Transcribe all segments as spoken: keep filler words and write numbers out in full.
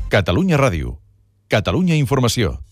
Catalunya Ràdio. Catalunya Informació.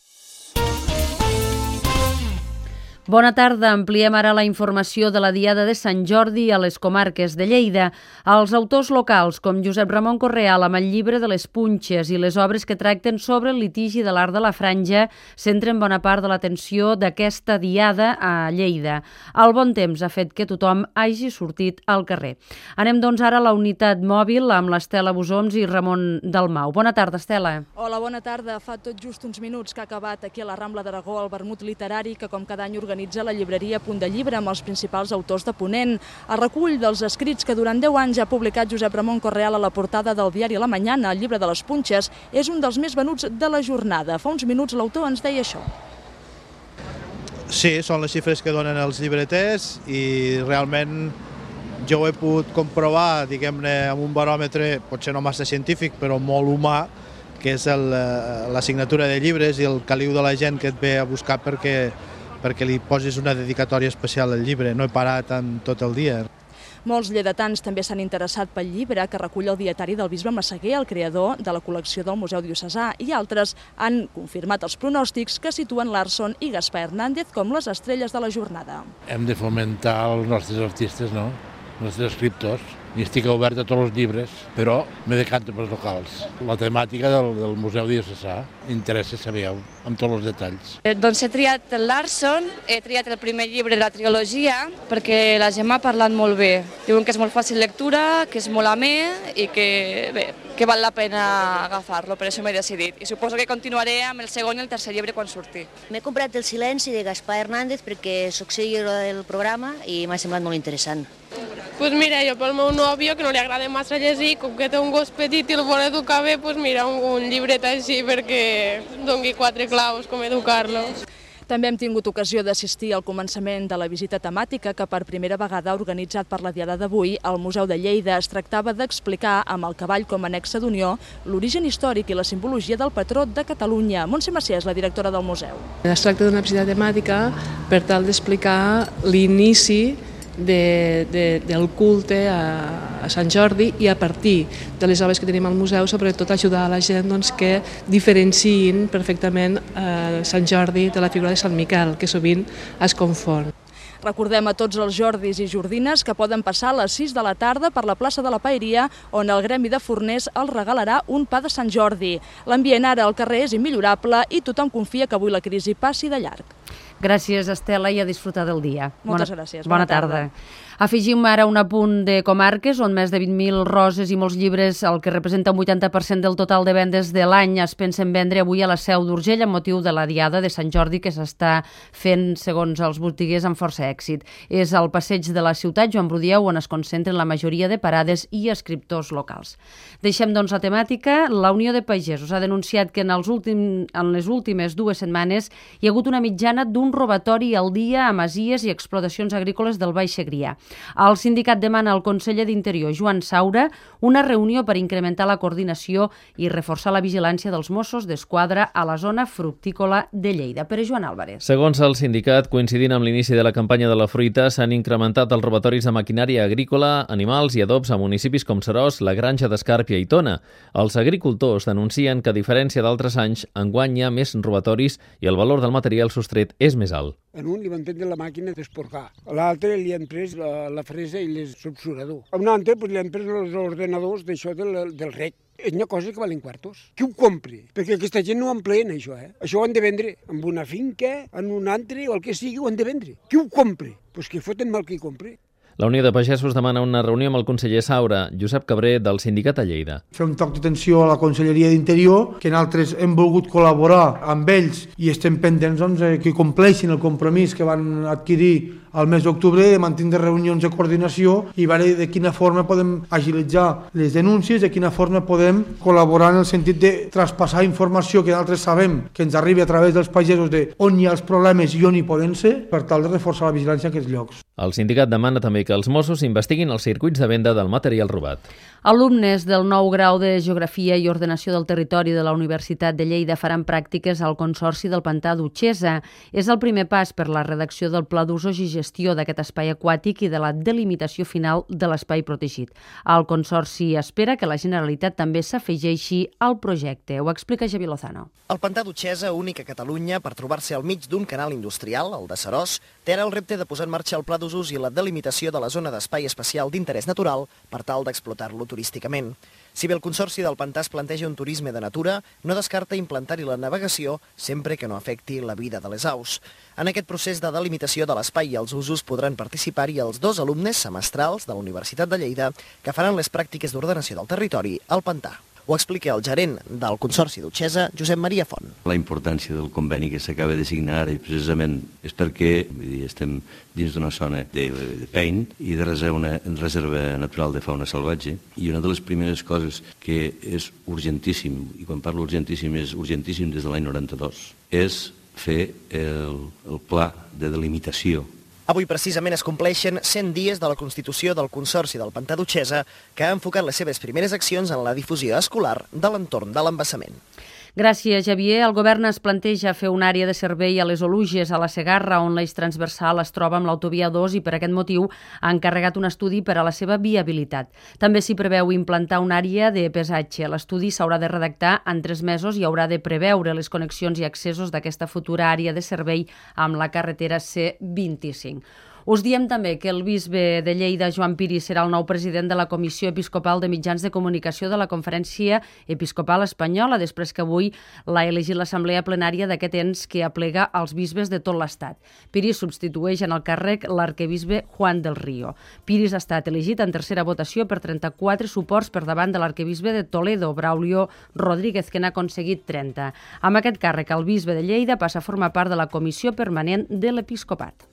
Bona tarda. Ampliem ara la informació de la Diada de Sant Jordi a les comarques de Lleida. Els autors locals, com Josep Ramon Correal amb el llibre de les Punxes i les obres que tracten sobre el litigi de l'art de la franja, centren bona part de l'atenció d'aquesta Diada a Lleida. El bon temps ha fet que tothom hagi sortit al carrer. Anem doncs ara a la unitat mòbil amb l'Estela Busoms i Ramon Dalmau. Bona tarda, Estela. Hola, bona tarda. Fa tot just uns minuts que ha acabat aquí a la Rambla d'Aragó el vermut literari que com cada any organitza organitza la llibreria Punt de Llibre amb els principals autors de Ponent. El recull dels escrits que durant deu anys ha publicat Josep Ramon Correal a la portada del diari La Mañana, el llibre de les Punxes, és un dels més venuts de la jornada. Fa uns minuts l'autor ens deia això. Sí, són les xifres que donen els llibreters i realment jo ho he pogut comprovar, diguem-ne, amb un baròmetre, potser no massa científic, però molt humà, que és la signatura de llibres i el caliu de la gent que et ve a buscar perquè perquè li posis una dedicatòria especial al llibre. No he parat en tot el dia. Molts lleidatans també s'han interessat pel llibre que recull el dietari del bisbe Massaguer, el creador de la col·lecció del Museu Diocesà, i altres han confirmat els pronòstics que situen Larson i Gaspar Hernández com les estrelles de la jornada. Hem de fomentar els nostres artistes, no? Els nostres escriptors. I estic obert a tots els llibres, però me decanto pels locals. La temàtica del, del Museu Diocesà interessa, sabeu, amb tots els detalls. Eh, doncs he triat el Larson, he triat el primer llibre de la trilogia, perquè la gent m'ha parlat molt bé. Diuen que és molt fàcil lectura, que és molt amè i que, bé, que val la pena agafar-lo, per això m'he decidit. I suposo que continuaré amb el segon i el tercer llibre quan surti. M'he comprat El silenci de Gaspar Hernández perquè soc seguidora del programa i m'ha semblat molt interessant. Pues mira, jo pel meu nòvio, que no li agrada massa llegir, com que té un gos petit i el vol educar bé, pues mira, un, un llibret així perquè doni quatre claus com educar-lo. També hem tingut ocasió d'assistir al començament de la visita temàtica que per primera vegada organitzat per la Diada d'avui al Museu de Lleida. Es tractava d'explicar amb el cavall com a nexe d'unió l'origen històric i la simbologia del patró de Catalunya. Montse Macià és la directora del museu. Es tracta d'una visita temàtica per tal d'explicar l'inici De, de, del culte a, a Sant Jordi i a partir de les obres que tenim al museu, sobretot ajudar a la gent doncs, que diferenciïn perfectament eh, Sant Jordi de la figura de Sant Miquel, que sovint es confon. Recordem a tots els Jordis i Jordines que poden passar a les sis de la tarda per la plaça de la Paeria, on el Gremi de Forners els regalarà un pa de Sant Jordi. L'ambient ara al carrer és immillorable i tothom confia que avui la crisi passi de llarg. Gràcies, Estela, i a disfrutar del dia. Moltes bona, gràcies. Bona, bona tarda. tarda. Afegim ara un apunt de comarques on més de vint mil roses i molts llibres, el que representa un vuitanta per cent del total de vendes de l'any, es pensen vendre avui a la Seu d'Urgell amb motiu de la Diada de Sant Jordi que s'està fent, segons els botiguers, amb força èxit. És al passeig de la ciutat Joan Brudieu on es concentren la majoria de parades i escriptors locals. Deixem, doncs, la temàtica. La Unió de Pagesos ha denunciat que en, els últim, en les últimes dues setmanes hi ha hagut una mitjana d'un robatori al dia a masies i explotacions agrícoles del Baix Segrià. El sindicat demana al conseller d'Interior, Joan Saura, una reunió per incrementar la coordinació i reforçar la vigilància dels Mossos d'Esquadra a la zona fructícola de Lleida. Per Joan Álvarez. Segons el sindicat, coincidint amb l'inici de la campanya de la fruita, s'han incrementat els robatoris de maquinària agrícola, animals i adobs a municipis com Seròs, la Granja d'Escàrpia i Tona. Els agricultors denuncien que, a diferència d'altres anys, enguany hi ha més robatoris i el valor del material sostret és més alt. En un li van prendre la màquina d'esporcar, a l'altre li han pres la, la fresa i l'obsurador. A un altre pues, li han pres els ordenadors d'això del, del rec. És una cosa que valen quartos. Qui ho compri? Perquè aquesta gent no ho empleen, això, eh? Això ho han de vendre en una finca, en un altre, o el que sigui, ho han de vendre. Qui ho compri? Doncs pues que foten mal qui compri. La Unió de Pagesos demana una reunió amb el conseller Saura, Josep Cabré, del sindicat a Lleida. Fer un toc d'atenció a la Conselleria d'Interior, que nosaltres hem volgut col·laborar amb ells i estem pendents doncs, que compleixin el compromís que van adquirir al mes d'octubre de mantenir reunions de coordinació i veure de quina forma podem agilitzar les denúncies, de quina forma podem col·laborar en el sentit de traspassar informació que nosaltres sabem que ens arribi a través dels pagesos de on hi ha els problemes i on hi poden ser, per tal de reforçar la vigilància en aquests llocs. El sindicat demana també que els Mossos investiguin els circuits de venda del material robat. Alumnes del nou grau de Geografia i Ordenació del Territori de la Universitat de Lleida faran pràctiques al Consorci del Pantà d'Utxesa. És el primer pas per la redacció del Pla d'usos i gestió gestió d'aquest espai aquàtic i de la delimitació final de l'espai protegit. El Consorci espera que la Generalitat també s'afegeixi al projecte. Ho explica Javi Lozano. El pantà d'Utxesa, únic a Catalunya per trobar-se al mig d'un canal industrial, el de Seròs, té ara el repte de posar en marxa el pla d'usos i la delimitació de la zona d'espai especial d'interès natural per tal d'explotar-lo turísticament. Si bé el Consorci del Pantà es planteja un turisme de natura, no descarta implantar-hi la navegació sempre que no afecti la vida de les aus. En aquest procés de delimitació de l'espai i els usos podran participar-hi els dos alumnes semestrals de la Universitat de Lleida que faran les pràctiques d'ordenació del territori al Pantà. Ho explica el gerent del Consorci d'Utxesa, Josep Maria Font. La importància del conveni que s'acaba de signar ara i precisament és perquè vull dir, estem dins d'una zona de, de pein i de reserva, una reserva natural de fauna salvatge, i una de les primeres coses que és urgentíssim, i quan parlo urgentíssim és urgentíssim des de l'any noranta-dos, és fer el, el pla de delimitació. Avui precisament es compleixen cent dies de la constitució del Consorci del Pantà d'Utxesa, que ha enfocat les seves primeres accions en la difusió escolar de l'entorn de l'embassament. Gràcies, Javier. El govern es planteja fer una àrea de servei a les Oluges, a la Segarra, on l'eix transversal es troba amb l'autovia dos i per aquest motiu ha encarregat un estudi per a la seva viabilitat. També s'hi preveu implantar una àrea de pesatge. L'estudi s'haurà de redactar en tres mesos i haurà de preveure les connexions i accessos d'aquesta futura àrea de servei amb la carretera C vint-i-cinc. Us diem també que el bisbe de Lleida, Joan Piris, serà el nou president de la Comissió Episcopal de Mitjans de Comunicació de la Conferència Episcopal Espanyola, després que avui l'ha elegit l'Assemblea Plenària d'aquest ens que aplega els bisbes de tot l'Estat. Piris substitueix en el càrrec l'arquebisbe Juan del Río. Piris ha estat elegit en tercera votació per trenta-quatre suports per davant de l'arquebisbe de Toledo, Braulio Rodríguez, que n'ha aconseguit trenta. Amb aquest càrrec, el bisbe de Lleida passa a formar part de la Comissió Permanent de l'Episcopat.